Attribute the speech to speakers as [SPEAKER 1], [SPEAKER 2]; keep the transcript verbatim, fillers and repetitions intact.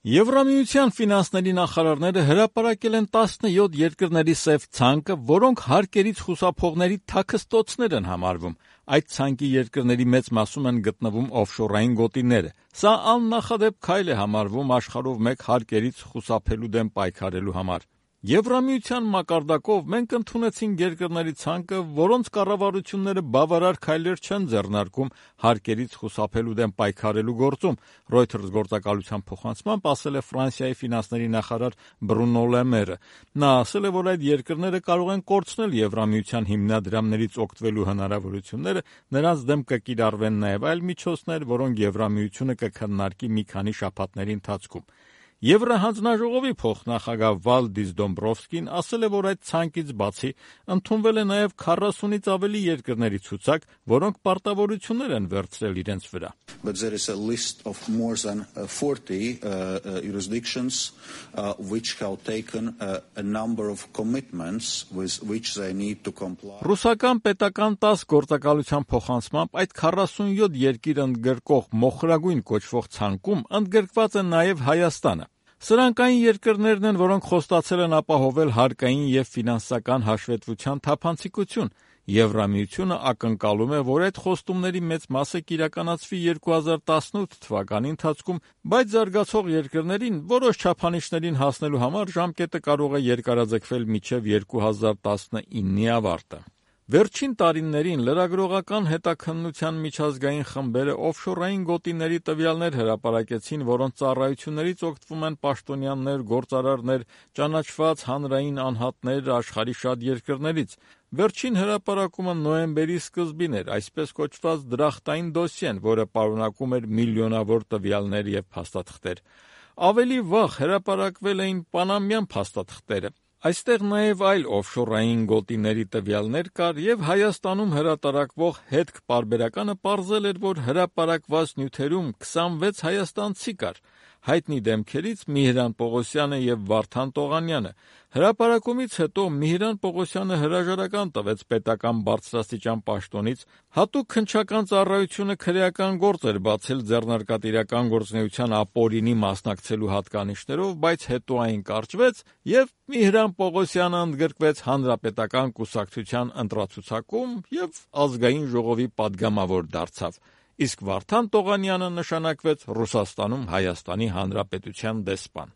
[SPEAKER 1] Եվրամիության ֆինանսների նախարարները հրապարակել են տասնյոթ երկրների սև ցանկը, որոնք հարկերից խուսափողների թաքստոցներ են համարվում։ Այդ ցանկի երկրների մեծ մասում են գտնվում օֆշորային գոտիները։ Սա աննախադեպ քայլ է համարվում աշխարհով մեկ հարկերից խուսափելու դեմ պայքարելու համար։ Եվրամիության մակարդակով մենք ընդունեցինք երկրների ցանկը, որոնց կառավարությունները բավարար քայլեր չեն ձեռնարկում հարկերից խուսափելու դեմ պայքարելու գործում, Reuters գործակալության փոխանցմամբ ասել է Ֆրանսիայի ֆինանսների նախարար Բրունո Լե Մերը։ Նա ասել է, որ այդ երկրները կարող են կորցնել Եվրամիության հիմնադրամներից օգտվելու հնարավորությունները, նրանց դեմ կկիրառվեն նաև այլ միջոցներ, որոնք Եվրամիությունը կքննարկի մի քանի շաբաթների ընթացքում։ Եվրահանձնաժողովի փոխնախագահ Վալդիս Դոմբրովսկին ասել է, որ այդ ցանկից բացի ընդունվել է նաև քառասունից ավելի երկրների ցուցակ, որոնք պարտավորություններ են վերցրել իրենց վրա։
[SPEAKER 2] But there is a list of more than forty uh, uh, jurisdictions uh, which have taken uh, a number of commitments with which they need to comply.
[SPEAKER 1] Ռուսական պետական տաս գործակալության փոխանցմամբ այդ քառասունյոթ երկիր ընդգրկող մոխրագույն կոչվող ցանկում ընդգրկված է նաև Հայաստանը։ Սրանք այն երկրներն են, որոնք խոստացել են ապահովել հարկային և ֆինանսական հաշվետվության թափանցիկություն։ Եվրամիությունը ակնկալում է, որ այդ խոստումների մեծ մասը կիրականացվի երկու հազար տասնութ թվականի ընթացքում, բայց զարգացող երկրներին որոշ չափանիշներին հասնելու համար ժամկետը կարող է երկարաձգվել մինչև երկու հազար տասնինի ավարտը։ Վերջին տարիներին լրագրողական հետաքննության միջազգային խմբերը օֆշորային գոտիների տվյալներ հրապարակեցին, որոնց ծառայություններից օգտվում են պաշտոնյաներ, գործարարներ, ճանաչված հանրային անհատներ աշխարհի շատ երկրներից։ Վերջին հրապարակումը նոյեմբերի սկզբին էր, այսպես կոչված դրախտային դոսիեն, որը պարունակում էր միլիոնավոր տվյալներ և փաստաթղթեր։ Ավելի վաղ հրապարակվել էին պանամյան փաստաթղթերը։ Այստեղ նաև այլ օֆշորային գոտիների տվյալներ կար, և Հայաստանում հրատարակվող հետք պարբերականը պարզել էր, որ հրապարակված նյութերում քսանվեց հայաստանցի կար։ Հայտնի դեմքերից Միհրան Պողոսյանը և Վարդան Տողանյանը։ Հրապարակումից հետո Միհրան Պողոսյանը հրաժարական տվեց պետական բարձրաստիճան պաշտոնից, հատուկ քննչական ծառայությունը քրեական գործ էր բացել ձեռնարկատիրական գործունեության ապօրինի մասնակցելու հատկանիշներով, բայց հետո այն կարճվեց, և Միհրան Պողոսյանը ընդգրկվեց Հանրապետական կուսակցության ընտրացուցակում և Ազգային ժողովի պատգամավոր դարձավ, իսկ Վարդան Տողանյանը նշանակվեց Ռուսաստանում Հայաստանի Հանրապետության դեսպան։